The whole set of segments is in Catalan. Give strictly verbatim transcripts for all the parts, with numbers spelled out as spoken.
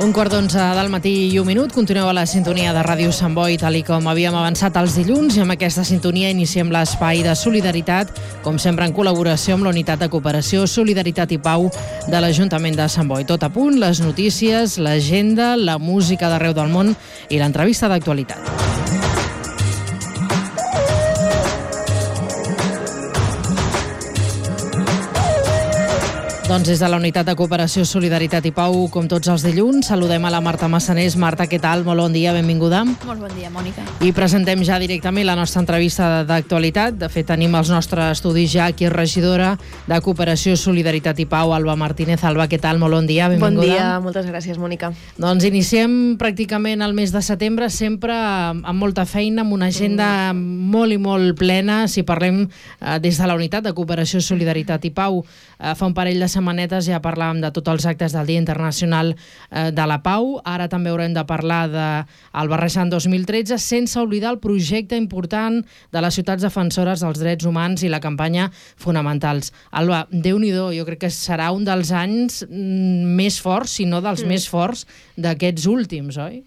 Un quart d'onze del matí i un minut. Continueu a la sintonia de Ràdio Sant Boi, tal i com havíem avançat els dilluns, i amb aquesta sintonia iniciem l'espai de solidaritat, com sempre en col·laboració amb la Unitat de Cooperació, Solidaritat i Pau de l'Ajuntament de Sant Boi. Tot a punt, les notícies, l'agenda, la música d'arreu del món i l'entrevista d'actualitat. Doncs des de la Unitat de Cooperació, Solidaritat i Pau, com tots els dilluns, saludem a la Marta Massanés. Marta, què tal? Molt bon dia, benvinguda. Molt bon dia, Mònica. I presentem ja directament la nostra entrevista d'actualitat. De fet, tenim els nostres estudis ja aquí, regidora de Cooperació, Solidaritat i Pau, Alba Martínez. Alba, què tal? Molt bon dia, benvinguda. Bon dia, moltes gràcies, Mònica. Doncs iniciem pràcticament el mes de setembre, sempre amb molta feina, amb una agenda mm. molt i molt plena. Si parlem eh, des de la Unitat de Cooperació, Solidaritat i Pau, eh, fa un parell de setmanetes ja parlàvem de tots els actes del Dia Internacional eh, de la Pau. Ara també haurem de parlar del Barrejant dos mil tretze, sense oblidar el projecte important de les ciutats defensores dels drets humans i la campanya Fonamentals. Alba, Déu-n'hi-do, jo crec que serà un dels anys més forts, si no dels mm. més forts d'aquests últims, oi?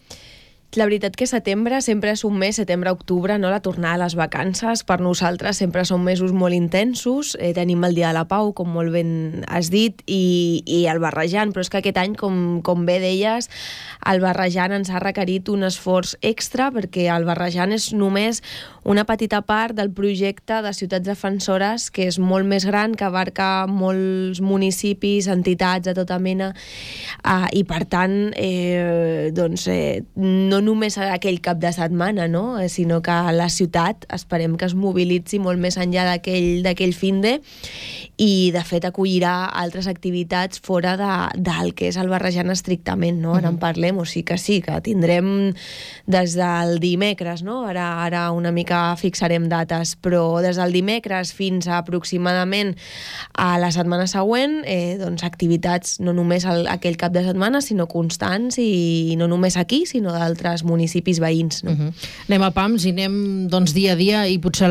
La veritat que setembre sempre és un mes, setembre-octubre, no? La tornada a les vacances, per nosaltres sempre són mesos molt intensos. Eh, tenim el Dia de la Pau, com molt ben has dit, i, i el Barrejant, però és que aquest any, com, com bé deies, el Barrejant ens ha requerit un esforç extra, perquè el Barrejant és només una petita part del projecte de ciutats defensores, que és molt més gran, que abarca molts municipis, entitats de tota mena, eh, i per tant, eh, doncs, eh, no només aquell cap de setmana, no? Sinó que la ciutat esperem que es mobilitzi molt més enllà d'aquell d'aquell finde i, de fet, acollirà altres activitats fora de, del que és el Barrejant estrictament, no? Ara en parlem, o sigui que sí, que tindrem des del dimecres, no? Ara, ara una mica fixarem dates, però des del dimecres fins a aproximadament a la setmana següent, eh, doncs activitats no només el, aquell cap de setmana, sinó constants, i no només aquí, sinó d'altres municipis veïns, no? Uh-huh. Anem a pams i anem doncs, dia a dia, i potser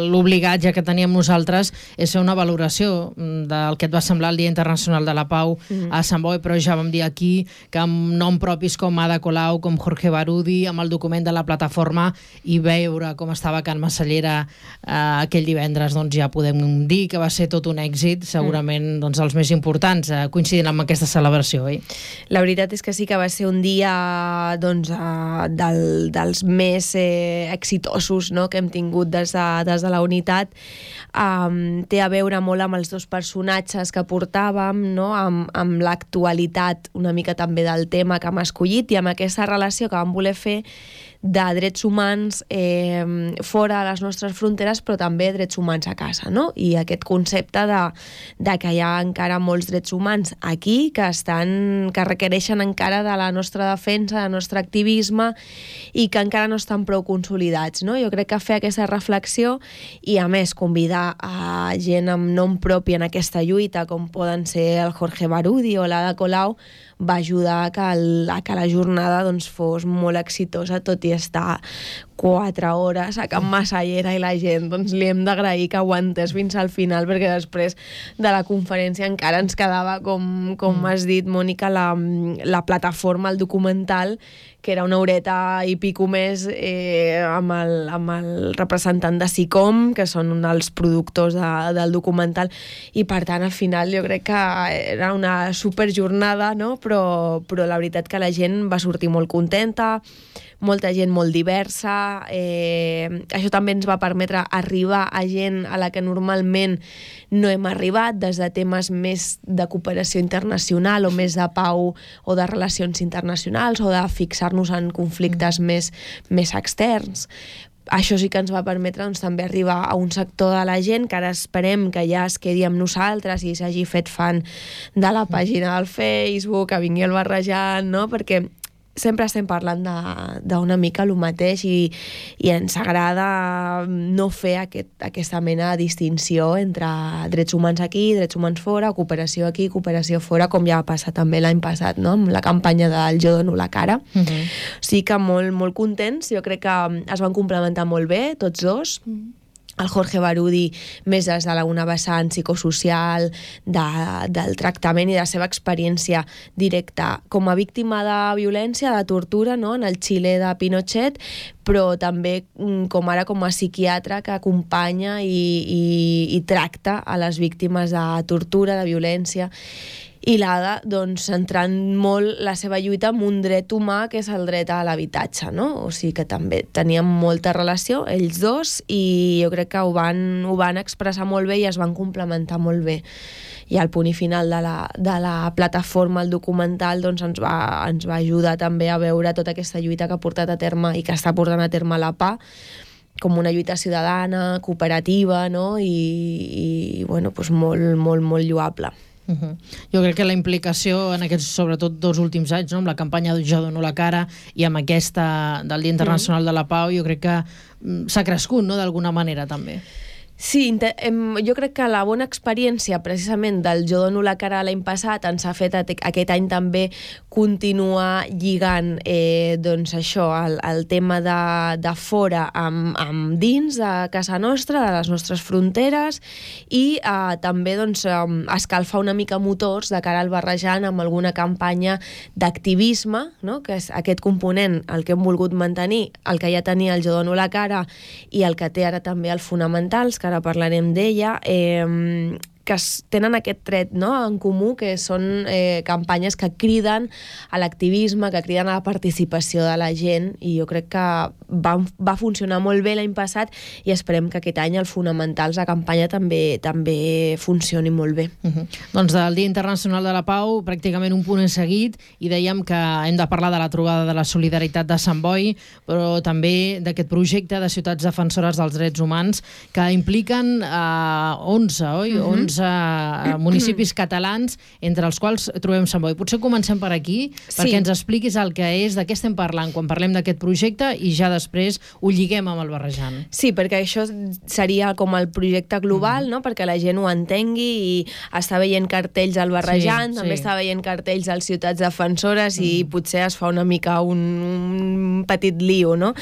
l'obligat ja que teníem nosaltres és fer una valoració del que et va semblar el Dia Internacional de la Pau uh-huh. a Sant Boi, però ja vam dir aquí que amb nom propis com Ada Colau, com Jorge Barudi, amb el document de la plataforma, i veure com estava Can Massallera eh, aquell divendres, doncs ja podem dir que va ser tot un èxit, segurament uh-huh. doncs, els més importants, eh, coincidint amb aquesta celebració, oi? La veritat és que sí que va ser un dia doncs, eh, Del, dels més eh, exitosos, no?, que hem tingut des de, des de la unitat. Um, té a veure molt amb els dos personatges que portàvem, no?, amb, amb l'actualitat una mica també del tema que hem escollit, i amb aquesta relació que vam voler fer de drets humans eh, fora de les nostres fronteres, però també drets humans a casa, no? I aquest concepte de, de que hi ha encara molts drets humans aquí que estan, que requereixen encara de la nostra defensa, del nostre activisme, i que encara no estan prou consolidats, no? Jo crec que fer aquesta reflexió i, a més, convidar a gent amb nom propi en aquesta lluita, com poden ser el Jorge Barudi o l'Ada Colau, va ajudar a que, el, a que la jornada doncs, fos molt exitosa, tot i estar quatre hores a Can Massallera, i la gent doncs, li hem d'agrair que aguantés fins al final, perquè després de la conferència encara ens quedava, com, com mm. has dit, Mònica, la, la plataforma, el documental, que era una horeta i pico més, eh, amb, el, amb el representant de SICOM, que són un dels productors de, del documental, i per tant al final jo crec que era una superjornada, no? però, però la veritat que la gent va sortir molt contenta, molta gent molt diversa, eh, això també ens va permetre arribar a gent a la que normalment no hem arribat, des de temes més de cooperació internacional o més de pau o de relacions internacionals o de fixar-nos en conflictes mm. més, més externs. Això sí que ens va permetre doncs, també arribar a un sector de la gent que ara esperem que ja es quedi amb nosaltres i s'hagi fet fan de la pàgina del Facebook, que vingui el Barrejant, no? Perquè sempre estem parlant d'una mica el mateix, i, i ens agrada no fer aquest, aquesta mena de distinció entre drets humans aquí, drets humans fora, cooperació aquí, cooperació fora, com ja va passar també l'any passat, no?, amb la campanya del Jo dono la cara. Uh-huh. O sigui que molt, molt contents, jo crec que es van complementar molt bé tots dos. Uh-huh. el Jorge Barudi més des de la una vessant psicosocial, de, del tractament i de la seva experiència directa com a víctima de violència, de tortura, no? En el Xile de Pinochet, però també com ara com a psiquiatre que acompanya i, i, i tracta a les víctimes de tortura, de violència. I l'Ada, doncs, centrant molt la seva lluita amb un dret humà, que és el dret a l'habitatge, no? O sigui que també tenien molta relació, ells dos, i jo crec que ho van, ho van expressar molt bé i es van complementar molt bé. I al punt i final de la, de la plataforma, el documental, doncs ens va, ens va ajudar també a veure tota aquesta lluita que ha portat a terme i que està portant a terme la P A, com una lluita ciutadana, cooperativa, no? I, i bueno, doncs molt, molt, molt lloable. Uh-huh. Jo crec que la implicació en aquests, sobretot dos últims anys, no? Amb la campanya Jo dono la cara i amb aquesta del Dia Internacional uh-huh. de la Pau, jo crec que s'ha crescut, no?, d'alguna manera també. Sí, jo crec que la bona experiència precisament del Jo dono la cara l'any passat ens ha fet aquest any també continuar lligant eh, doncs això, el, el tema de, de fora amb, amb dins de casa nostra, de les nostres fronteres, i eh, també doncs, escalfar una mica motors de cara al barrejant amb alguna campanya d'activisme, no? Que és aquest component, el que hem volgut mantenir, el que ja tenia el Jo dono la cara i el que té ara també el Fonamentals, que ara parlarem d'ella, eh, que tenen aquest tret, no?, en comú, que són eh, campanyes que criden a l'activisme, que criden a la participació de la gent, i jo crec que va, va funcionar molt bé l'any passat i esperem que aquest any el Fonamentals, la campanya, també també funcioni molt bé. Uh-huh. Doncs del Dia Internacional de la Pau, pràcticament un punt en seguit, i dèiem que hem de parlar de la trobada de la solidaritat de Sant Boi, però també d'aquest projecte de ciutats defensores dels drets humans que impliquen eh, onze, oi? Uh-huh. onze municipis catalans, entre els quals trobem Sant Boi. Potser comencem per aquí, perquè sí. ens expliquis el que és, de què estem parlant quan parlem d'aquest projecte, i ja després ho lliguem amb el barrejant. Sí, perquè això seria com el projecte global, mm. no?, perquè la gent ho entengui, i està veient cartells al barrejant, sí, també sí. està veient cartells als ciutats defensores, mm. i potser es fa una mica un, un petit lío, no?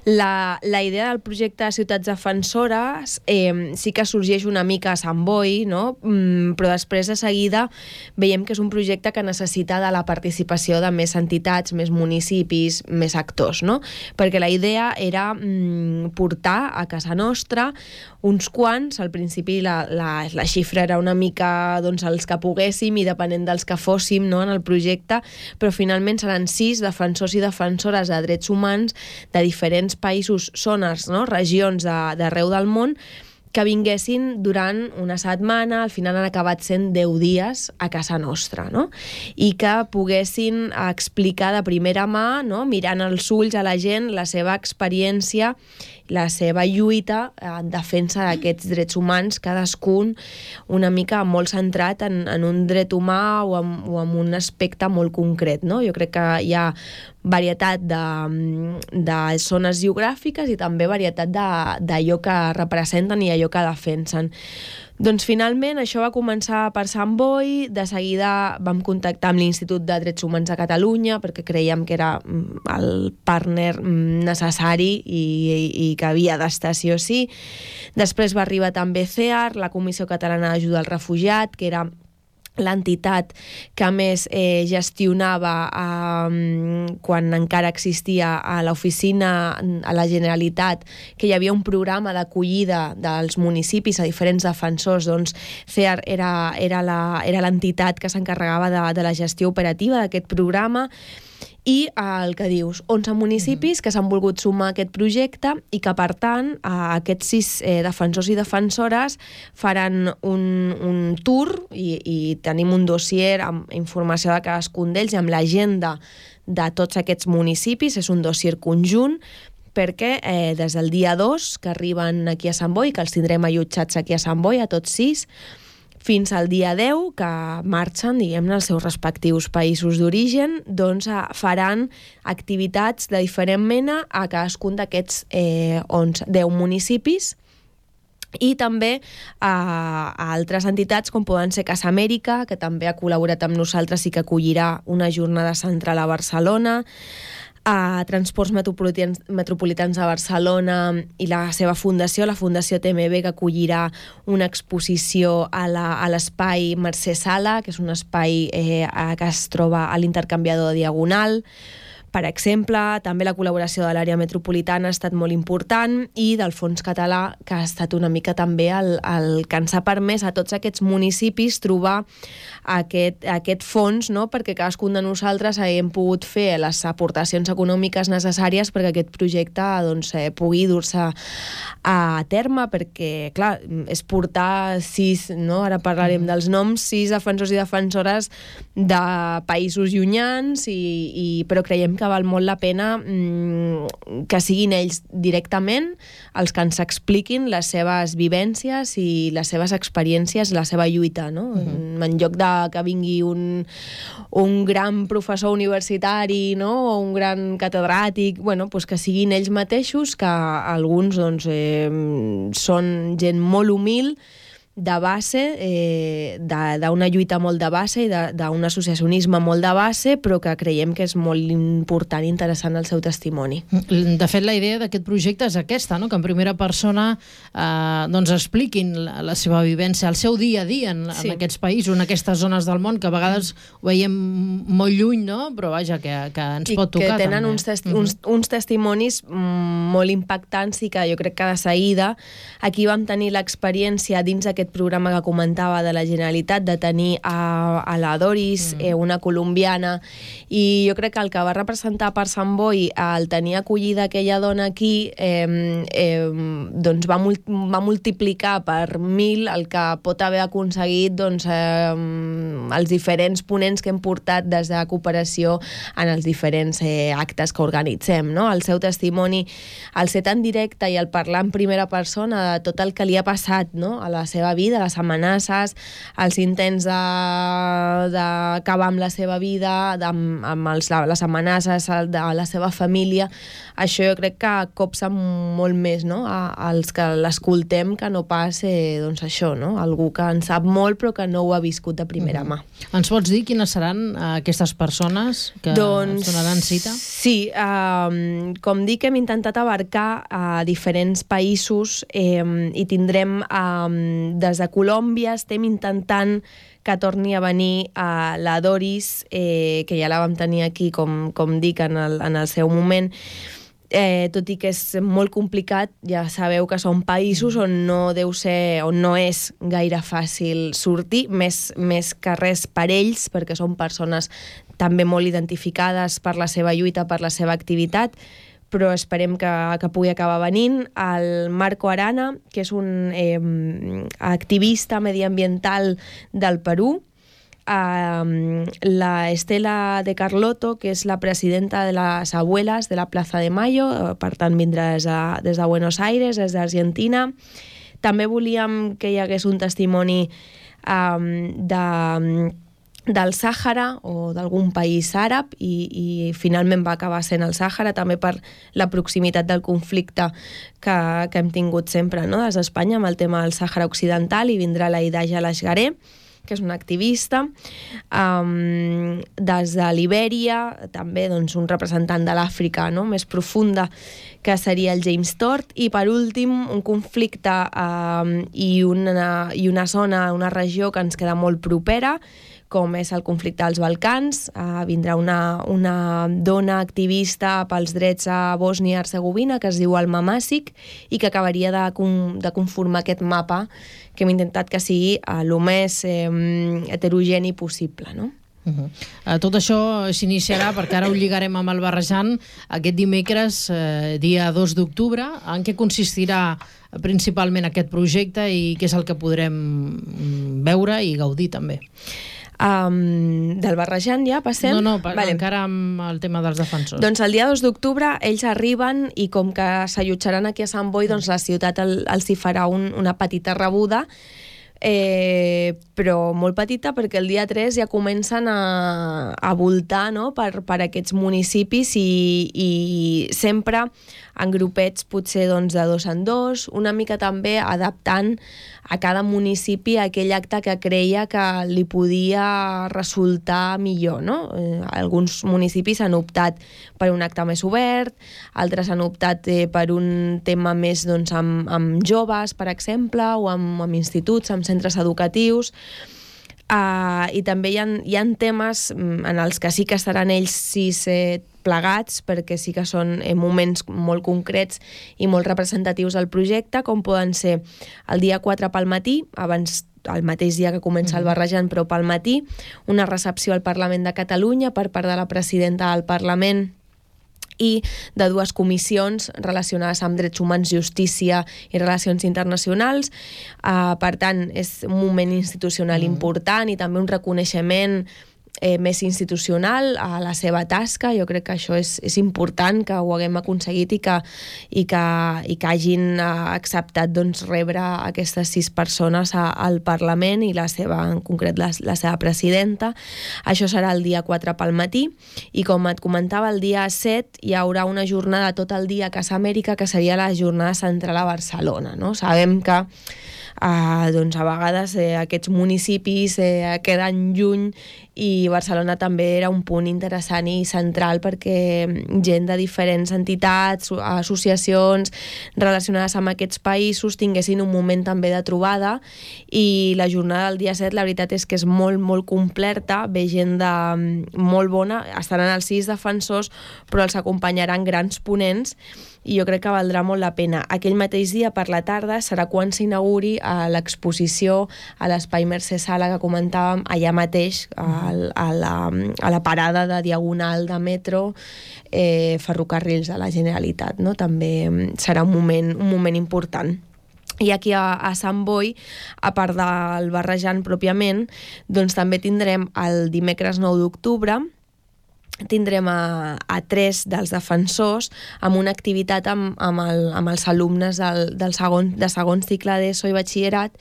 La, la idea del projecte de ciutats defensores eh, sí que sorgeix una mica a Sant Boi, no?, Mm, però després de seguida veiem que és un projecte que necessita de la participació de més entitats, més municipis, més actors, no? Perquè la idea era mm, portar a casa nostra uns quants, al principi la, la, la xifra era una mica doncs, els que poguéssim i depenent dels que fóssim, no?, en el projecte, però finalment seran sis defensors i defensores de drets humans de diferents països, zones, no?, regions d'arreu del món, que vinguessin durant una setmana, al final han acabat sent deu dies a casa nostra, no? I que poguessin explicar de primera mà, no?, mirant els ulls a la gent, la seva experiència, la seva lluita en defensa d'aquests drets humans, cadascun una mica molt centrat en, en un dret humà o en, o en un aspecte molt concret, no? Jo crec que hi ha varietat de, de zones geogràfiques i també varietat d'allò que representen i allò que defensen. Doncs finalment això va començar per Sant Boi, de seguida vam contactar amb l'Institut de Drets Humans de Catalunya perquè creiem que era el partner necessari i, i, i que havia d'estar sí o sí. Després va arribar també C E A R, la Comissió Catalana d'Ajuda al Refugiat, que era l'entitat que més eh, gestionava eh, quan encara existia a l'oficina a la Generalitat, que hi havia un programa d'acollida dels municipis a diferents defensors, doncs C E A R era, era, la, era l'entitat que s'encarregava de, de la gestió operativa d'aquest programa. I el que dius, onze municipis que s'han volgut sumar a aquest projecte i que, per tant, aquests sis eh, defensors i defensores faran un, un tour i, i tenim un dossier amb informació de cadascun d'ells i amb l'agenda de tots aquests municipis. És un dossier conjunt perquè eh, des del dia dos que arriben aquí a Sant Boi, que els tindrem allotjats aquí a Sant Boi, a tots sis, fins al dia deu, que marxen, diguem-ne, als seus respectius països d'origen, doncs faran activitats de diferent mena a cadascun d'aquests eh, deu municipis, i també a, a altres entitats com poden ser Casa Amèrica, que també ha col·laborat amb nosaltres i que acollirà una jornada central a Barcelona, a Transports Metropolitans, Metropolitans de Barcelona i la seva fundació, la Fundació T M B, que acollirà una exposició a l'espai Mercè Sala, que és un espai eh, que es troba a l'intercanviador de Diagonal. Per exemple, també la col·laboració de l'àrea metropolitana ha estat molt important i del Fons Català, que ha estat una mica també el, el que ens ha permès a tots aquests municipis trobar aquest, aquest fons, no? Perquè cadascun de nosaltres haguem pogut fer les aportacions econòmiques necessàries perquè aquest projecte doncs, eh, pugui dur-se a terme, perquè, clar, és portar sis, no? Ara parlarem mm. dels noms, sis defensors i defensores de països llunyans, i, i, però creiem que val molt la pena mmm, que siguin ells directament els que ens expliquin les seves vivències i les seves experiències, la seva lluita, no? Uh-huh. En lloc de que vingui un, un gran professor universitari, no? O un gran catedràtic, bueno, pues que siguin ells mateixos, que alguns doncs, eh, són gent molt humil, de base, eh, d'una lluita molt de base i d'un associacionisme molt de base, però que creiem que és molt important i interessant el seu testimoni. De fet, la idea d'aquest projecte és aquesta, no? Que en primera persona eh, doncs expliquin la, la seva vivència, el seu dia a dia en, sí. en aquests països, en aquestes zones del món, que a vegades ho veiem molt lluny, no? Però vaja, que, que ens I pot tocar. I que tenen també. uns, testi uns, uns testimonis molt impactants i que jo crec que de seguida aquí vam tenir l'experiència dins aquest programa que comentava de la Generalitat de tenir a, a la Doris, mm. eh, una colombiana, i jo crec que el que va representar per Sant Boi el tenir acollida aquella dona aquí eh, eh, doncs va, mul va multiplicar per mil el que pot haver aconseguit doncs, eh, els diferents ponents que hem portat des de cooperació en els diferents eh, actes que organitzem, no? El seu testimoni, el ser tan directe i el parlar en primera persona de tot el que li ha passat, no? A la seva vida, les amenaces, els intents d'acabar amb la seva vida, de, amb els, les amenaces de la seva família, això jo crec que copsa molt més, no? A, als que l'escoltem, que no pas eh, doncs això, no? Algú que en sap molt però que no ho ha viscut de primera mà. Mm-hmm. Ens pots dir quines seran aquestes persones que doncs, donaran cita? Sí, eh, com dic, hem intentat abarcar a diferents països eh, i tindrem eh, des de Colòmbia, estem intentant que torni a venir a la Doris, eh, que ja la vam tenir aquí, com, com dic, en el, en el seu moment. Eh, tot i que és molt complicat, ja sabeu que són països on no deu ser, on no és gaire fàcil sortir, més, més que res per ells, perquè són persones també molt identificades per la seva lluita, per la seva activitat, però esperem que, que pugui acabar venint. El Marco Arana, que és un eh, activista mediambiental del Perú, Uh, la Estela de Carlotto, que és la presidenta de les abuelas de la Plaza de Mayo, per tant vindrà des de, des de Buenos Aires, des d'Argentina. També volíem que hi hagués un testimoni um, de, del Sàhara o d'algun país àrab i, i finalment va acabar sent el Sàhara, també per la proximitat del conflicte que, que hem tingut sempre, no? Des d'Espanya amb el tema del Sàhara Occidental, i vindrà la Idaja Lashgaré, que és una activista, um, des de Libèria, també doncs, un representant de l'Àfrica, no? Més profunda, que seria el James Tort, i per últim un conflicte um, i, una, i una zona, una regió que ens queda molt propera, com és el conflicte dels Balcans. Uh, vindrà una, una dona activista pels drets a Bòsnia i Hercegovina, que es diu Alma Masic, i que acabaria de, de conformar aquest mapa que hem intentat que sigui el més eh, heterogeni possible, no? Uh-huh. uh, tot això s'iniciarà, perquè ara ho lligarem amb el Barrejant, aquest dimecres, eh, dia dos d'octubre. En què consistirà principalment aquest projecte i què és el que podrem veure i gaudir també? Um, del Barrejant ja passem? No, no, pa vale. Encara amb el tema dels defensors. Doncs el dia dos d'octubre ells arriben i com que s'allotjaran aquí a Sant Boi, doncs la ciutat el, els hi farà un, una petita rebuda, eh, però molt petita, perquè el dia tres ja comencen a, a voltar, no? per, per aquests municipis i, i sempre en grupets potser doncs, de dos en dos, una mica també adaptant a cada municipi aquell acte que creia que li podia resultar millor, no? Eh, alguns municipis han optat per un acte més obert, altres han optat eh, per un tema més doncs, amb, amb joves, per exemple, o amb, amb instituts, amb centres educatius. Uh, i també hi ha, hi ha temes en els que sí que estaran ells sis eh, plegats, perquè sí que són eh, moments molt concrets i molt representatius del projecte, com poden ser el dia quatre pel matí, abans el mateix dia que comença el barrejant, però pel matí, una recepció al Parlament de Catalunya per part de la presidenta del Parlament i de dues comissions relacionades amb drets humans, justícia i relacions internacionals. Uh, per tant, és un moment institucional mm. important i també un reconeixement Eh, més institucional a la seva tasca. Jo crec que això és, és important, que ho haguem aconseguit i que, i que, i que hagin eh, acceptat doncs, rebre aquestes sis persones a, al Parlament i la seva, en concret la, la seva presidenta. Això serà el dia quatre pel matí i com et comentava, el dia set hi haurà una jornada tot el dia a Casa Amèrica, que seria la jornada central a Barcelona, no? Sabem que Uh, doncs a vegades eh, aquests municipis eh, queden lluny i Barcelona també era un punt interessant i central perquè gent de diferents entitats, associacions relacionades amb aquests països tinguessin un moment també de trobada, i la jornada del dia set la veritat és que és molt, molt completa, ve gent de molt bona, estaran els sis defensors però els acompanyaran grans ponents i jo crec que valdrà molt la pena. Aquell mateix dia, per la tarda, serà quan s'inauguri a l'exposició a l'Espai Mercè Sala que comentàvem allà mateix, a, a, la, a la parada de Diagonal de metro, eh, Ferrocarrils de la Generalitat, no? També serà un moment, un moment important. I aquí a, a Sant Boi, a part del barrejant pròpiament, doncs també tindrem el dimecres nou d'octubre, tindrem a, a tres dels defensors amb una activitat amb, amb, el, amb els alumnes del, del segon, de segon cicle d'ESO i batxillerat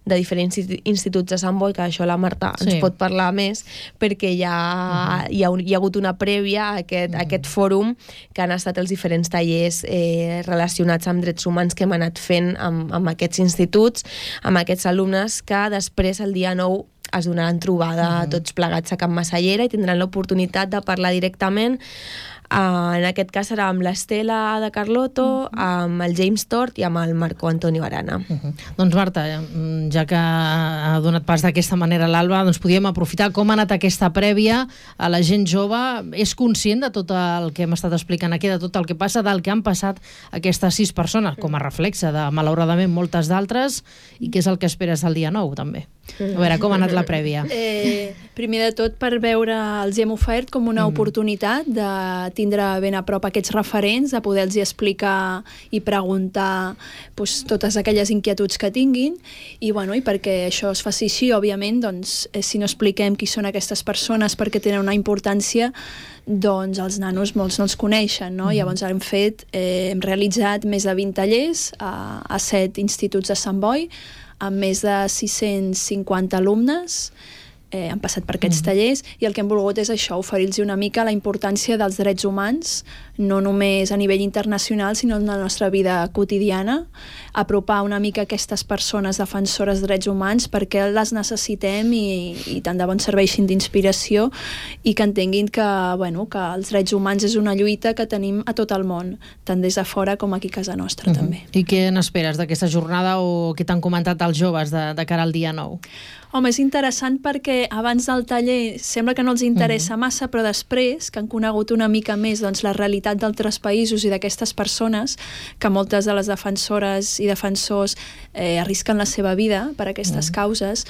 de diferents instituts de Sant Boi, que això la Marta sí. ens pot parlar més, perquè ja uh-huh. hi, ha, hi ha hagut una prèvia a aquest, uh-huh. a aquest fòrum que han estat els diferents tallers eh, relacionats amb drets humans que hem anat fent amb, amb aquests instituts, amb aquests alumnes, que després el dia nou es donaran trobada mm. tots plegats a Can Massallera i tindran l'oportunitat de parlar directament. Uh, en aquest cas serà amb l'Estela de Carlotto, uh-huh. amb el James Tort i amb el Marco Antonio Arana. Uh-huh. Doncs Marta, ja que ha donat pas d'aquesta manera a l'Alba, doncs podíem aprofitar com ha anat aquesta prèvia a la gent jove. És conscient de tot el que hem estat explicant aquí, de tot el que passa, del que han passat aquestes sis persones, com a reflexe de, malauradament, moltes d'altres, i què és el que esperes el dia nou, també? A veure, com ha anat la prèvia? Eh, primer de tot, per veure, els hem ofert com una mm. oportunitat de tindre ben a prop aquests referents, de poder-los explicar i preguntar pues, totes aquelles inquietuds que tinguin, i, bueno, i perquè això es faci així, òbviament, doncs, eh, si no expliquem qui són aquestes persones perquè tenen una importància, doncs els nanos molts no els coneixen, no? Mm. Llavors hem fet, eh, hem realitzat més de vint tallers a, a set instituts de Sant Boi, amb més de sis-cents cinquanta alumnes, eh, han passat per aquests mm. tallers, i el que hem volgut és això, oferir-los una mica la importància dels drets humans, no només a nivell internacional, sinó en la nostra vida quotidiana, apropar una mica aquestes persones defensores de drets humans perquè les necessitem i, i tant de bon serveixin d'inspiració i que entenguin que, bueno, que els drets humans és una lluita que tenim a tot el món, tant des de fora com aquí a casa nostra, uh-huh. també. I què n'esperes d'aquesta jornada o què t'han comentat els joves de, de cara al dia nou? Home, és interessant perquè abans del taller sembla que no els interessa uh-huh. massa, però després que han conegut una mica més doncs, la realitat d'altres països i d'aquestes persones, que moltes de les defensores i defensors eh, arrisquen la seva vida per aquestes uh-huh. causes,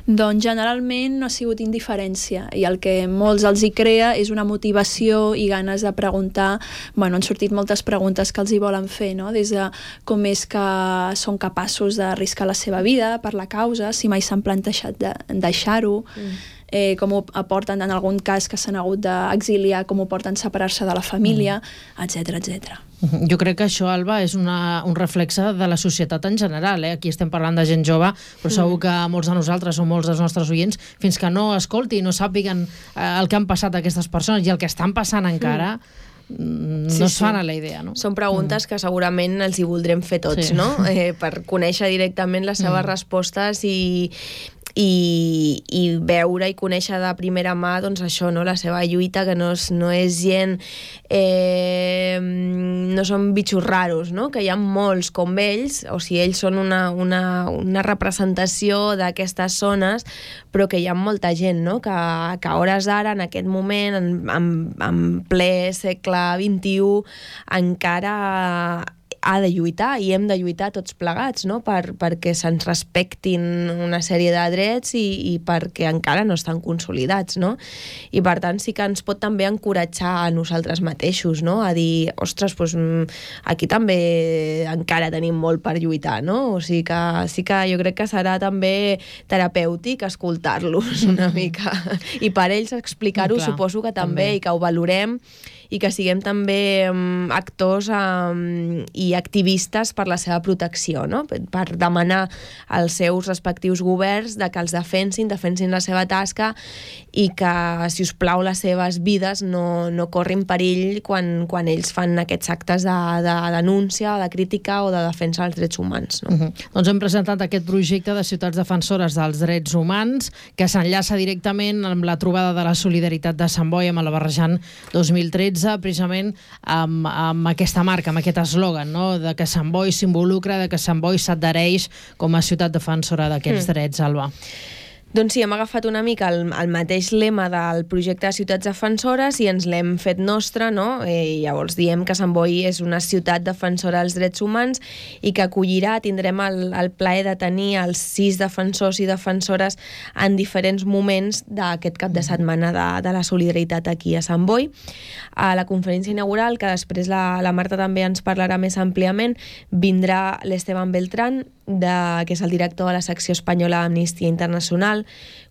doncs generalment no ha sigut indiferència, i el que molts els hi crea és una motivació i ganes de preguntar. Bueno, han sortit moltes preguntes que els hi volen fer, no? Des de com és que són capaços d'arriscar la seva vida per la causa, si mai s'han plantejat de deixar-ho, mm. eh, com ho aporten en algun cas que s'han hagut d'exiliar, com ho porten separar-se de la família, etcètera, etcètera. Jo crec que això, Alba, és una, un reflexe de la societat en general. Eh? Aquí estem parlant de gent jove, però segur que molts de nosaltres o molts dels nostres oients, fins que no escolti i no sàpiguen eh, el que han passat aquestes persones i el que estan passant encara, no Sí, es sí. fan a la idea, no? Són preguntes que segurament els hi voldrem fer tots, Sí. no? Eh, per conèixer directament les seves respostes i, i, i veure i conèixer de primera mà, doncs això, no? La seva lluita, que no és, no és gent, eh, no són bitxos raros, no? Que hi ha molts com ells, o sigui, ells són una, una, una representació d'aquestes zones, però que hi ha molta gent, no? Que, que a hores d'ara, en aquest moment, en, en, en ple segle vint-i-u, encara ha de lluitar i hem de lluitar tots plegats, no? Per, perquè se'ns respectin una sèrie de drets i, i perquè encara no estan consolidats, no? I per tant sí que ens pot també encoratjar a nosaltres mateixos, no? A dir, ostres, doncs, aquí també encara tenim molt per lluitar, no? O sigui que sí que jo crec que serà també terapèutic escoltar-los una mica i per ells explicar-ho, Clar, suposo que també, també. i que ho valorem i que siguem també um, actors um, i activistes per la seva protecció, no? Per, per demanar als seus respectius governs de que els defensin, defensin la seva tasca i que, si us plau, les seves vides no, no corrin perill quan, quan ells fan aquests actes de, de denúncia, de crítica o de defensa dels drets humans, no? Uh -huh. Doncs hem presentat aquest projecte de ciutats defensores dels drets humans que s'enllaça directament amb la trobada de la solidaritat de Sant Boi amb el Barrejant dos mil tretze, precisament amb, amb aquesta marca, amb aquest eslògan, no? De que Sant Boi s'involucra, de que Sant Boi s'adhereix com a ciutat defensora d'aquests mm. drets, Alba. Doncs sí, hem agafat una mica el, el mateix lema del projecte de ciutats defensores i ens l'hem fet nostre, no? I llavors diem que Sant Boi és una ciutat defensora dels drets humans i que acollirà, tindrem el, el plaer de tenir els sis defensors i defensores en diferents moments d'aquest cap de setmana de, de la solidaritat aquí a Sant Boi. A la conferència inaugural, que després la, la Marta també ens parlarà més àmpliament, vindrà l'Esteban Beltrán, de, que és el director de la secció espanyola d'Amnistia Internacional,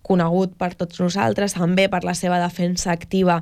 conegut per tots nosaltres, també per la seva defensa activa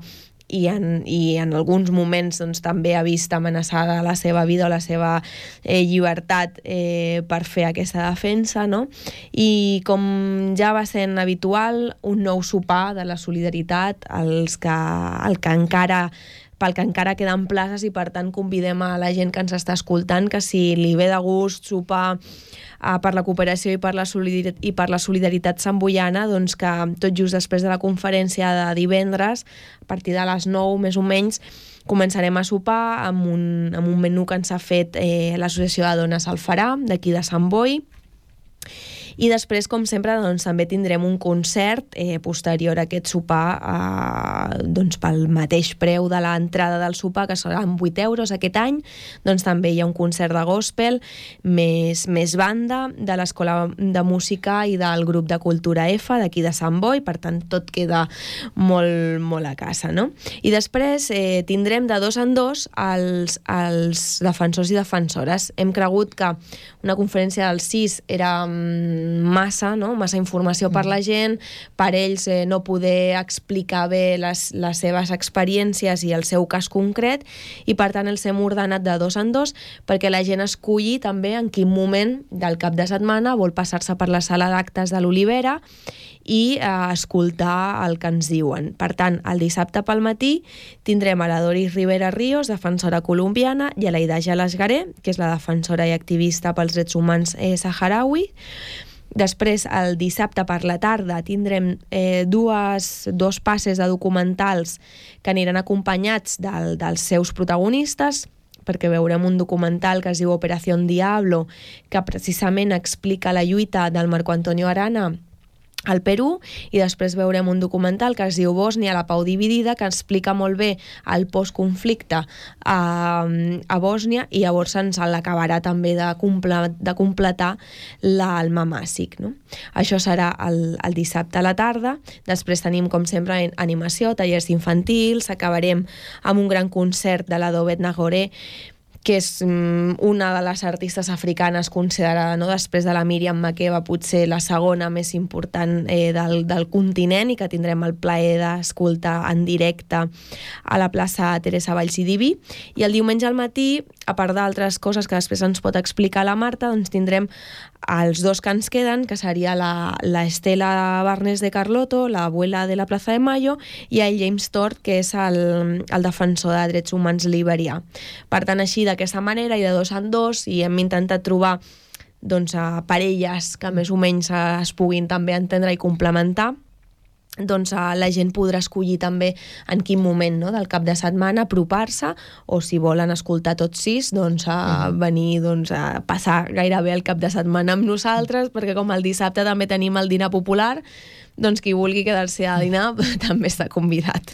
i en, i en alguns moments doncs, també ha vist amenaçada la seva vida o la seva eh, llibertat eh, per fer aquesta defensa, no? I com ja va sent habitual, un nou sopar de la solidaritat, els que, el que encara pel que encara queden places i per tant convidem a la gent que ens està escoltant que si li ve de gust sopar uh, per la cooperació i per la, solidaritat, i per la solidaritat santboiana, doncs que tot just després de la conferència de divendres, a partir de les nou més o menys, començarem a sopar amb un, amb un menú que ens ha fet eh, l'Associació de Dones Alfarà, d'aquí de Sant Boi. I després, com sempre, doncs, també tindrem un concert eh, posterior a aquest sopar eh, doncs, pel mateix preu de l'entrada del sopar, que seran vuit euros aquest any. Doncs també hi ha un concert de gospel, més, més banda de l'Escola de Música i del grup de Cultura F d'aquí de Sant Boi, per tant tot queda molt, molt a casa, no? I després eh, tindrem de dos en dos els, els defensors i defensores. Hem cregut que una conferència dels sis era massa, no? Massa informació per la gent, per ells eh, no poder explicar bé les, les seves experiències i el seu cas concret, i per tant els hem ordenat de dos en dos perquè la gent esculli també en quin moment del cap de setmana vol passar-se per la sala d'actes de l'Olivera i eh, escoltar el que ens diuen. Per tant, el dissabte pel matí tindrem a la Doris Rivera Ríos, defensora colombiana, i a la Ida Jalasgaré, que és la defensora i activista pels drets humans eh, saharaui. Després, el dissabte per la tarda, tindrem eh, dues, dos passes de documentals que aniran acompanyats del, dels seus protagonistes, perquè veurem un documental que es diu Operación Diablo, que precisament explica la lluita del Marco Antonio Arana al Perú, i després veurem un documental que es diu Bòsnia, la pau dividida, que explica molt bé el postconflicte a, a Bòsnia, i llavors ens l'acabarà també de, comple, de completar l'Alma Màssic, no? Això serà el, el dissabte a la tarda. Després tenim, com sempre, animació, tallers infantils, acabarem amb un gran concert de la Dobet Nagore, que és una de les artistes africanes considerada, no, després de la Míriam Makeba, potser la segona més important eh, del, del continent, i que tindrem el plaer d'escoltar en directe a la plaça Teresa Vallcidiví. I el diumenge al matí a part d'altres coses que després ens pot explicar la Marta, doncs tindrem els dos que ens queden, que seria la, la Estela Barnes de Carlotto, l'abuela de la Plaza de Mayo, i el James Tort, que és el, el defensor de drets humans liberià. Per tant, així, d'aquesta manera, i de dos en dos, i hem intentat trobar doncs, a parelles que més o menys es puguin també entendre i complementar, doncs la gent podrà escollir també en quin moment, no?, del cap de setmana apropar-se, o si volen escoltar tots sis, doncs a venir doncs, a passar gairebé el cap de setmana amb nosaltres, perquè com el dissabte també tenim el dinar popular, doncs qui vulgui quedar-se a dinar també està convidat.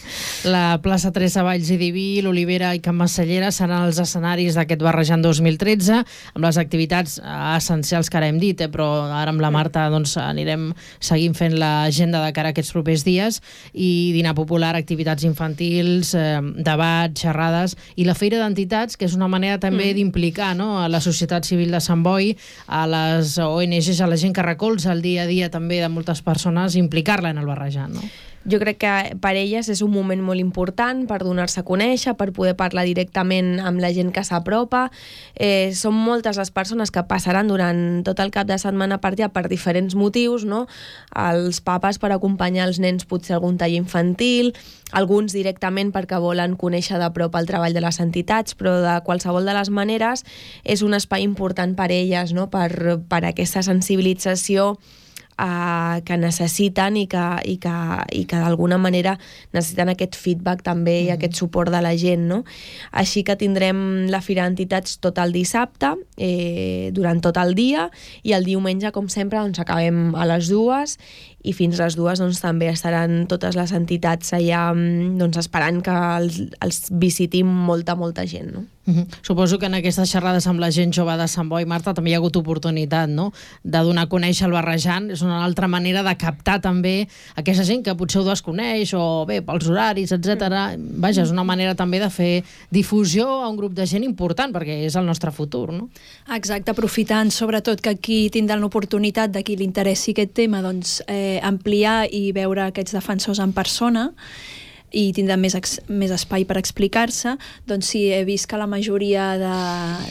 La plaça Teresa Valls i Diví, l'Olivera i Can Massallera seran els escenaris d'aquest Barrejant dos mil tretze, amb les activitats essencials que ara hem dit, eh? Però ara amb la Marta doncs, anirem seguint fent l'agenda de cara a aquests propers dies, i dinar popular, activitats infantils, eh, debats, xerrades, i la Feira d'Entitats, que és una manera també mm. d'implicar, no?, a la societat civil de Sant Boi, a les O N Ges, a la gent que recolza el dia a dia també de moltes persones, implicar-la en el Barrejant, no? Jo crec que per elles és un moment molt important per donar-se a conèixer, per poder parlar directament amb la gent que s'apropa. Eh, són moltes les persones que passaran durant tot el cap de setmana per allà per diferents motius, no? Els papes per acompanyar els nens potser a algun taller infantil, alguns directament perquè volen conèixer de prop el treball de les entitats, però de qualsevol de les maneres és un espai important per elles, no? per, per aquesta sensibilització Uh, que necessiten i que, i que, i que d'alguna manera necessiten aquest feedback també mm. i aquest suport de la gent, no? Així que tindrem la Fira d'Entitats tot el dissabte, eh, durant tot el dia, i el diumenge, com sempre, doncs, acabem a les dues, i fins a les dues doncs, també estaran totes les entitats allà doncs, esperant que els, els visitim molta, molta gent, no? Uh-huh. Suposo que en aquestes xerrades amb la gent jove de Sant Boi, Marta, també hi ha hagut oportunitat, no?, de donar a conèixer el Barrejant. És una altra manera de captar també aquesta gent que potser ho desconeix, o bé, pels horaris, etcètera. Vaja, és una manera també de fer difusió a un grup de gent important, perquè és el nostre futur, no? Exacte, aprofitant sobretot que aquí tindran l'oportunitat de qui li interessi aquest tema, doncs eh, ampliar i veure aquests defensors en persona, i tindran més, més espai per explicar-se. Doncs sí, he vist que la majoria de,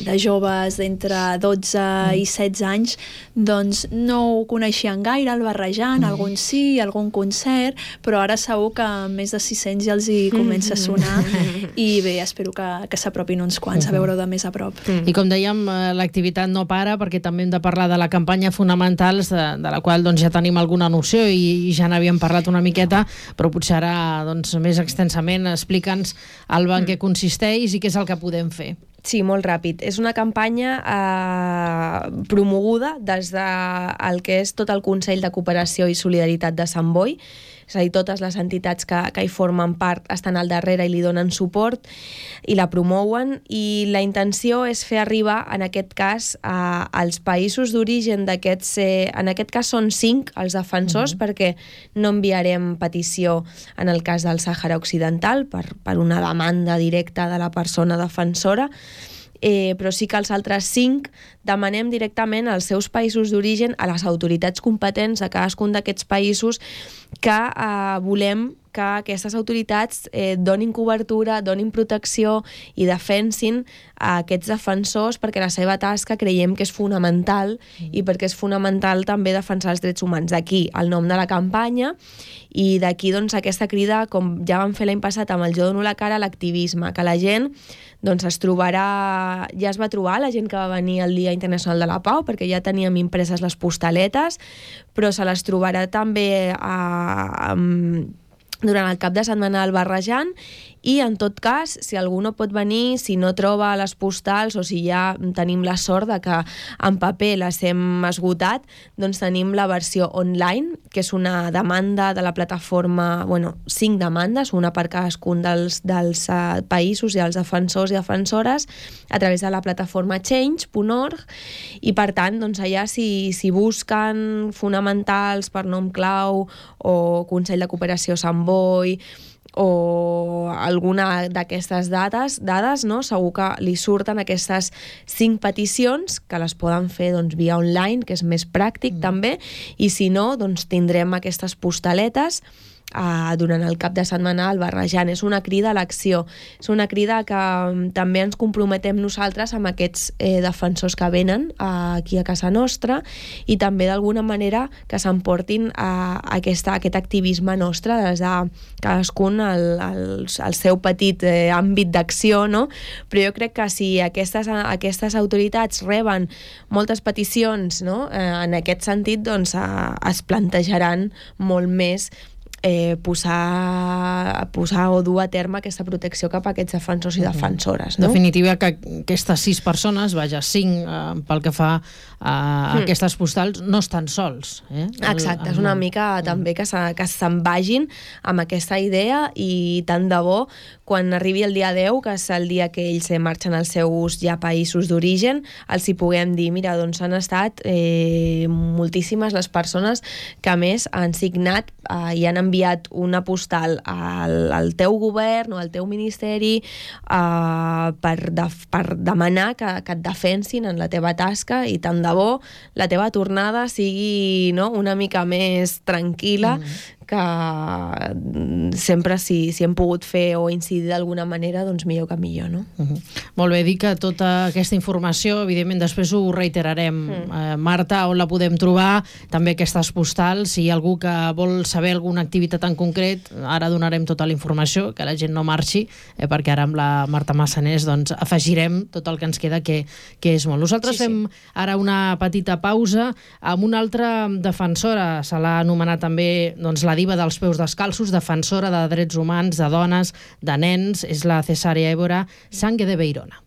de joves d'entre dotze mm. i setze anys doncs no ho coneixien gaire, el Barrejant, mm. alguns sí, algun concert, però ara segur que més de sis-cents ja els hi comença a sonar, mm. i bé, espero que, que s'apropin uns quants a veure-ho de més a prop. Mm. I com dèiem, l'activitat no para, perquè també hem de parlar de la campanya Fonamentals, de, de la qual doncs, ja tenim alguna noció i, i ja n'havíem parlat una miqueta, però potser ara doncs, més extensament, explica'ns, Alba, en què consisteix i què és el que podem fer. Sí, molt ràpid. És una campanya eh, promoguda des del que és tot el Consell de Cooperació i Solidaritat de Sant Boi, és a dir, totes les entitats que, que hi formen part estan al darrere i li donen suport i la promouen, i la intenció és fer arribar, en aquest cas, a, als països d'origen d'aquests, eh, en aquest cas són cinc els defensors, mm-hmm. perquè no enviarem petició en el cas del Sàhara Occidental per, per una demanda directa de la persona defensora, Eh, però sí que els altres cinc demanem directament als seus països d'origen, a les autoritats competents de cadascun d'aquests països, que eh, volem que aquestes autoritats eh, donin cobertura, donin protecció i defensin a aquests defensors, perquè la seva tasca creiem que és fonamental, mm. i perquè és fonamental també defensar els drets humans. D'aquí el nom de la campanya, i d'aquí doncs, aquesta crida, com ja vam fer l'any passat amb el Jo dono la cara, a l'activisme, que la gent doncs, es trobarà, ja es va trobar la gent que va venir al Dia Internacional de la Pau, perquè ja teníem impreses les postaletes, però se les trobarà també a, a, durant el cap de setmana al Barrejant, i en tot cas, si algú no pot venir, si no troba les postals, o si ja tenim la sort de que en paper les hem esgotat, doncs tenim la versió online, que és una demanda de la plataforma, bueno, cinc demandes, una per cadascun dels, dels uh, països i els defensors i defensores, a través de la plataforma change punt org, i per tant, doncs allà si, si busquen fonamentals per nom clau, o Consell de Cooperació Sant Boi, o alguna d'aquestes dades, dades, no? Segur que li surten aquestes cinc peticions, que les poden fer doncs, via online, que és més pràctic mm. també, i si no, doncs tindrem aquestes postaletes uh, durant el cap de setmana al Barrejant. És una crida a l'acció, és una crida que um, també ens comprometem nosaltres amb aquests eh, defensors que venen uh, aquí a casa nostra i també d'alguna manera que s'emportin uh, aquesta, aquest activisme nostre des de cadascun el, el, el seu petit eh, àmbit d'acció, no? Però jo crec que si aquestes, aquestes autoritats reben moltes peticions, no? eh, en aquest sentit doncs, eh, es plantejaran molt més Eh, posar, posar o dur a terme aquesta protecció cap a aquests defensors i defensores. No? En definitiva, que aquestes sis persones, vaja, cinc eh, pel que fa a mm. aquestes postals, no estan sols. Eh? Exacte, és una mica mm. també que, que se'n vagin amb aquesta idea i tant de bo quan arribi el dia deu, que és el dia que ells marxen als seus ja països d'origen, els hi puguem dir, mira, doncs han estat eh, moltíssimes les persones que a més han signat eh, i han enviat una postal al, al teu govern o al teu ministeri eh, per, de, per demanar que, que et defensin en la teva tasca i tant de bo la teva tornada sigui, no, una mica més tranquil·la, mm. que sempre si, si hem pogut fer o incidir d'alguna manera, doncs millor que millor, no? Uh-huh. Molt bé, dir que tota aquesta informació, evidentment, després ho reiterarem. Mm. Eh, Marta, on la podem trobar? També aquestes postals, si hi ha algú que vol saber alguna activitat en concret, ara donarem tota la informació, que la gent no marxi, eh, perquè ara amb la Marta Massanés doncs, afegirem tot el que ens queda, que, que és molt. Nosaltres sí, fem sí. ara una petita pausa amb una altra defensora, se l'ha anomenat també doncs, la diva dels peus descalços, defensora de drets humans, de dones, de nens, és la Cesarea Évora Sangue de Beirona.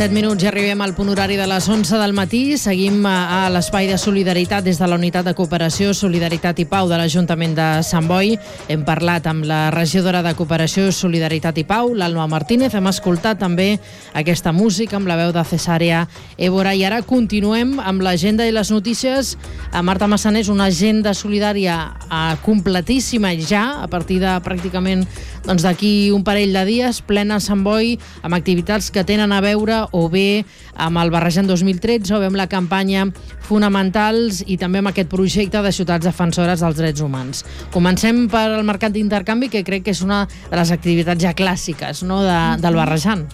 set minuts i arribem al punt horari de les onze del matí. Seguim a l'espai de solidaritat des de la Unitat de Cooperació, Solidaritat i Pau de l'Ajuntament de Sant Boi. Hem parlat amb la regidora de Cooperació, Solidaritat i Pau, l'Alma Martínez. Hem escoltat també aquesta música amb la veu de Cesàrea Évora. I ara continuem amb l'agenda i les notícies. A Marta Massanés, una agenda solidària completíssima ja, a partir de pràcticament doncs, d'aquí un parell de dies, plena a Sant Boi, amb activitats que tenen a veure o bé amb el Barrejant dos mil tretze o bé amb la campanya Fonamentals i també amb aquest projecte de ciutats defensores dels drets humans. Comencem per el mercat d'intercanvi, que crec que és una de les activitats ja clàssiques, no, de, del Barrejant.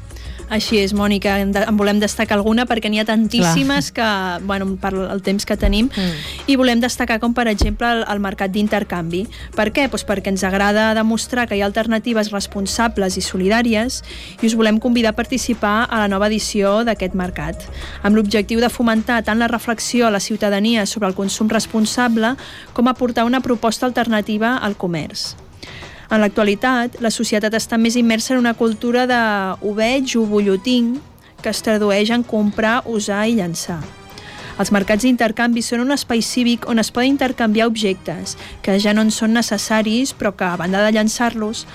Així és, Mònica, en, de, en volem destacar alguna perquè n'hi ha tantíssimes Clar. que, bueno, per el temps que tenim, mm. i volem destacar com, per exemple, el, el mercat d'intercanvi. Per què? Pues perquè ens agrada demostrar que hi ha alternatives responsables i solidàries i us volem convidar a participar a la nova edició d'aquest mercat, amb l'objectiu de fomentar tant la reflexió a la ciutadania sobre el consum responsable com aportar una proposta alternativa al comerç. En l'actualitat, la societat està més immersa en una cultura de ho veig, ho vull, ho tinc, que es tradueix en comprar, usar i llançar. Els mercats d'intercanvi són un espai cívic on es poden intercanviar objectes que ja no en són necessaris, però que, a banda de llançar-los,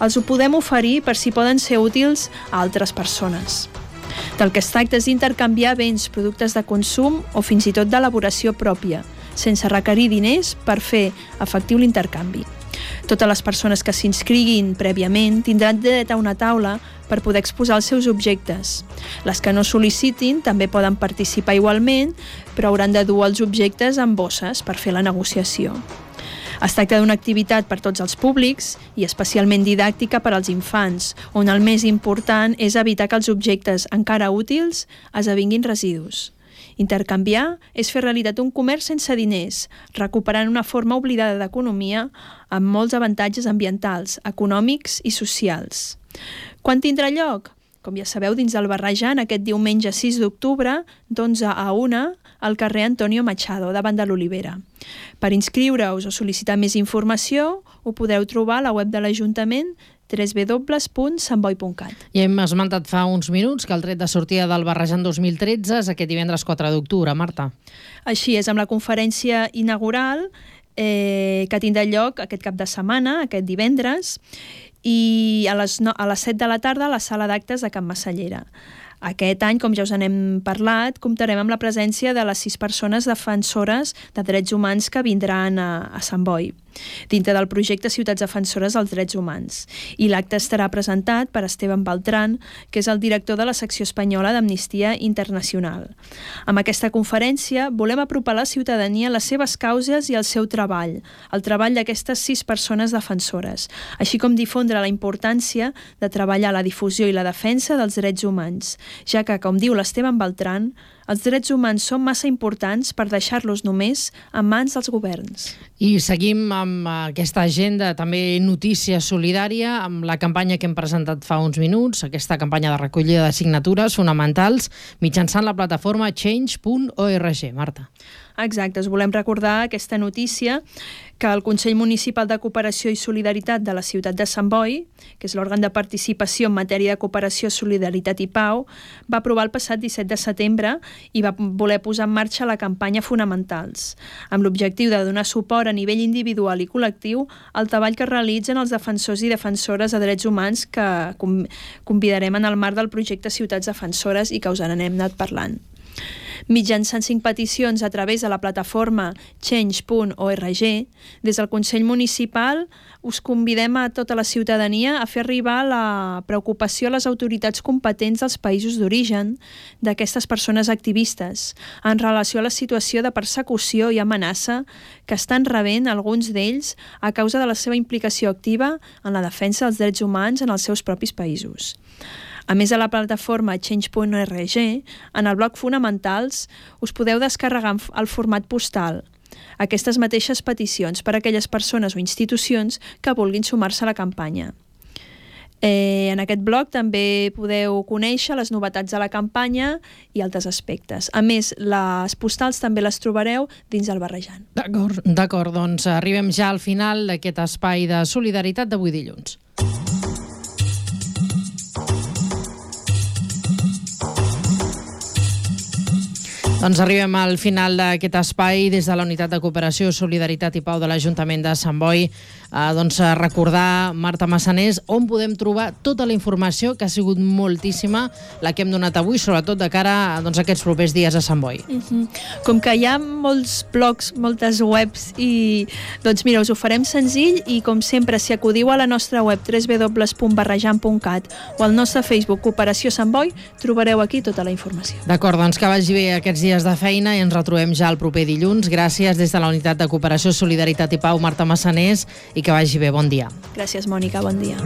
els ho podem oferir per si poden ser útils a altres persones. Del que es tracta és d'intercanviar béns, productes de consum o fins i tot d'elaboració pròpia, sense requerir diners per fer efectiu l'intercanvi. Totes les persones que s'inscriguin prèviament tindran dret a una taula per poder exposar els seus objectes. Les que no sol·licitin també poden participar igualment, però hauran de dur els objectes en bosses per fer la negociació. Es tracta d'una activitat per tots els públics i especialment didàctica per als infants, on el més important és evitar que els objectes encara útils esdevinguin residus. Intercanviar és fer realitat un comerç sense diners, recuperant una forma oblidada d'economia amb molts avantatges ambientals, econòmics i socials. Quan tindrà lloc? Com ja sabeu, dins del Barrejant, aquest diumenge sis d'octubre, d'onze a una, al carrer Antonio Machado, davant de l'Olivera. Per inscriure-us o sol·licitar més informació, ho podeu trobar a la web de l'Ajuntament w w w punt sant boi punt cat. I hem esmentat fa uns minuts que el tret de sortida del Barrejant dos mil tretze és aquest divendres quatre d'octubre, Marta. Així és, amb la conferència inaugural eh, que tindrà lloc aquest cap de setmana, aquest divendres, i a les, no, a les set de la tarda a la sala d'actes de Can Massallera. Aquest any, com ja us n'hem parlat, comptarem amb la presència de les sis persones defensores de drets humans que vindran a, a Sant Boi, dintre del projecte Ciutats Defensores dels Drets Humans. I l'acte estarà presentat per Esteban Beltrán, que és el director de la secció espanyola d'Amnistia Internacional. Amb aquesta conferència volem apropar a la ciutadania les seves causes i el seu treball, el treball d'aquestes sis persones defensores, així com difondre la importància de treballar la difusió i la defensa dels drets humans, ja que, com diu l'Esteban Beltrán, els drets humans són massa importants per deixar-los només en mans dels governs. I seguim amb aquesta agenda, també notícia solidària, amb la campanya que hem presentat fa uns minuts, aquesta campanya de recollida de signatures fonamentals mitjançant la plataforma change punt org. Marta. Exacte, us volem recordar aquesta notícia que el Consell Municipal de Cooperació i Solidaritat de la ciutat de Sant Boi, que és l'òrgan de participació en matèria de cooperació, solidaritat i pau, va aprovar el passat disset de setembre i va voler posar en marxa la campanya Fonamentals, amb l'objectiu de donar suport a nivell individual i col·lectiu al treball que realitzen els defensors i defensores de drets humans que convidarem en el marc del projecte Ciutats Defensores i que us n'hem anat parlant. Mitjançant cinc peticions a través de la plataforma change punt org, des del Consell Municipal us convidem a tota la ciutadania a fer arribar la preocupació a les autoritats competents dels països d'origen d'aquestes persones activistes en relació a la situació de persecució i amenaça que estan rebent alguns d'ells a causa de la seva implicació activa en la defensa dels drets humans en els seus propis països. A més de la plataforma change punt org, en el bloc Fonamentals us podeu descarregar el format postal aquestes mateixes peticions per a aquelles persones o institucions que vulguin sumar-se a la campanya. Eh, en aquest bloc també podeu conèixer les novetats de la campanya i altres aspectes. A més, les postals també les trobareu dins el Barrejant. D'acord, d'acord, doncs arribem ja al final d'aquest espai de solidaritat d'avui dilluns. Doncs arribem al final d'aquest espai des de la Unitat de Cooperació, Solidaritat i Pau de l'Ajuntament de Sant Boi. Eh, doncs recordar, Marta Massanés, on podem trobar tota la informació, que ha sigut moltíssima, la que hem donat avui, sobretot de cara doncs, a aquests propers dies a Sant Boi. Uh-huh. Com que hi ha molts blogs, moltes webs, i doncs mira, us ho farem senzill, i com sempre, si acudiu a la nostra web w w w punt barrejant punt cat o al nostre Facebook Cooperació Sant Boi, trobareu aquí tota la informació. D'acord, doncs que vagi bé aquests dies de feina i ens retrobem ja el proper dilluns. Gràcies des de la Unitat de Cooperació, Solidaritat i Pau, Marta Massanés, i que vagi bé. Bon dia. Gràcies, Mònica. Bon dia.